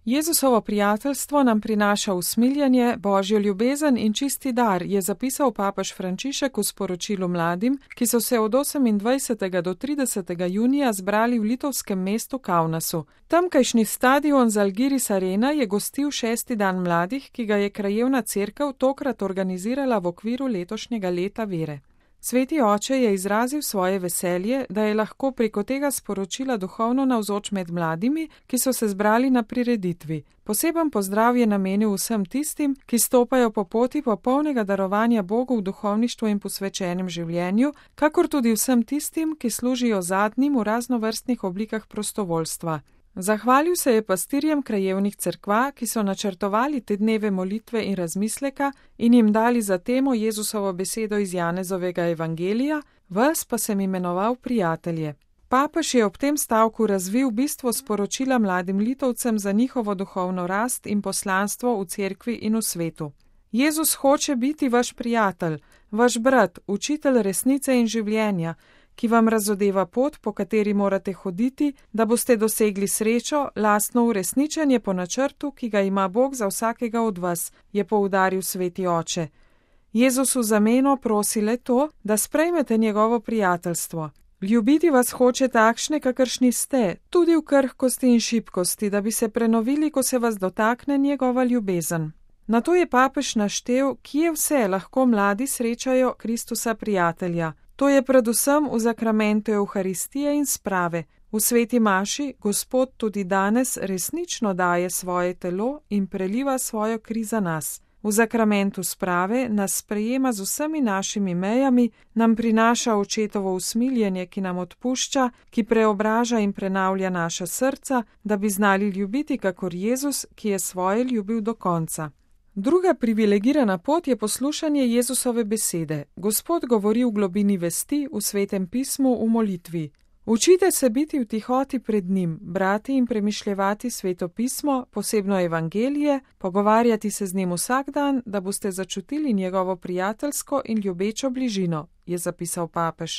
Jezusovo prijateljstvo nam prinaša usmiljenje, božjo ljubezen in čisti dar, je zapisal papež Frančišek v sporočilu mladim, ki so se od 28. do 30. junija zbrali v litovskem mestu Kaunasu. Tamkajšnji stadion Žalgiris Arena je gostil 6. dan mladih, ki ga je krajevna cerkev tokrat organizirala v okviru letošnjega leta vere. Sveti oče je izrazil svoje veselje, da je lahko preko tega sporočila duhovno navzoč med mladimi, ki so se zbrali na prireditvi. Poseben pozdrav je namenil vsem tistim, ki stopajo po poti popolnega darovanja Bogu v duhovništvu in posvečenem življenju, kakor tudi vsem tistim, ki služijo zadnjim v raznovrstnih oblikah prostovoljstva. Zahvalil se je pastirjem krajevnih cerkva, ki so načrtovali te dneve molitve in razmisleka in jim dali za temo Jezusovo besedo iz Janezovega evangelija, vas pa sem imenoval prijatelje. Papež je ob tem stavku razvil bistvo sporočila mladim Litovcem za njihovo duhovno rast in poslanstvo v cerkvi in v svetu. Jezus hoče biti vaš prijatelj, vaš brat, učitelj resnice in življenja, ki vam razodeva pot, po kateri morate hoditi, da boste dosegli srečo, lastno uresničenje po načrtu, ki ga ima Bog za vsakega od vas, je poudaril sveti oče. Jezus v zameno prosi le to, da sprejmete njegovo prijateljstvo. Ljubiti vas hoče takšne, kakršni ste, tudi v krhkosti in šibkosti, da bi se prenovili, ko se vas dotakne njegova ljubezen. Nato je papež naštel, kje vse lahko mladi srečajo Kristusa prijatelja. To je predvsem v zakramentu Evharistije in sprave. V sveti maši Gospod tudi danes resnično daje svoje telo in preliva svojo kri za nas. V zakramentu sprave nas sprejema z vsemi našimi mejami, nam prinaša očetovo usmiljenje, ki nam odpušča, ki preobraža in prenavlja naša srca, da bi znali ljubiti kakor Jezus, ki je svoje ljubil do konca. Druga privilegirana pot je poslušanje Jezusove besede. Gospod govori v globini vesti, v svetem pismu, v molitvi. Učite se biti v tihoti pred njim, brati in premišljevati sveto pismo, posebno evangelije, pogovarjati se z njim vsak dan, da boste začutili njegovo prijateljsko in ljubečo bližino, je zapisal papež.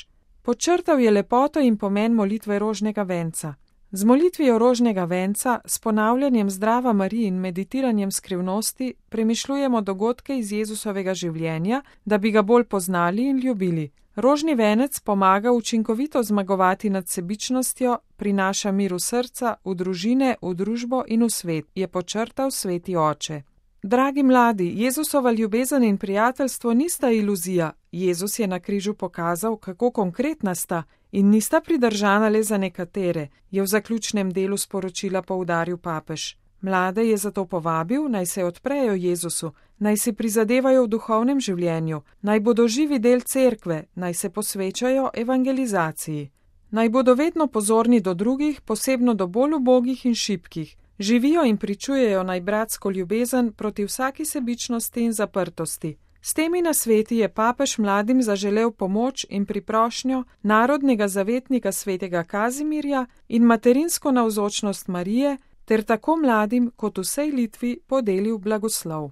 Podčrtal je lepoto in pomen molitve rožnega venca. Z molitvijo rožnega venca, s ponavljanjem zdrava Mariji in meditiranjem skrivnosti premišljujemo dogodke iz Jezusovega življenja, da bi ga bolj poznali in ljubili. Rožni venec pomaga učinkovito zmagovati nad sebičnostjo, prinaša mir v srca, v družine, v družbo in v svet, je podčrtal sveti oče. Dragi mladi, Jezusova ljubezen in prijateljstvo nista iluzija. Jezus je na križu pokazal, kako konkretna sta in nista pridržana le za nekatere, je v zaključnem delu sporočila poudaril papež. Mlade je zato povabil, naj se odprejo Jezusu, naj si prizadevajo v duhovnem življenju, naj bodo živi del cerkve, naj se posvečajo evangelizaciji. Naj bodo vedno pozorni do drugih, posebno do bolj ubogih in šibkih. Živijo in pričujejo naj bratsko ljubezen proti vsaki sebičnosti in zaprtosti. S temi nasveti je papež mladim zaželel pomoč in priprošnjo narodnega zavetnika svetega Kazimirja in materinsko navzočnost Marije, ter tako mladim kot vsej Litvi podelil blagoslov.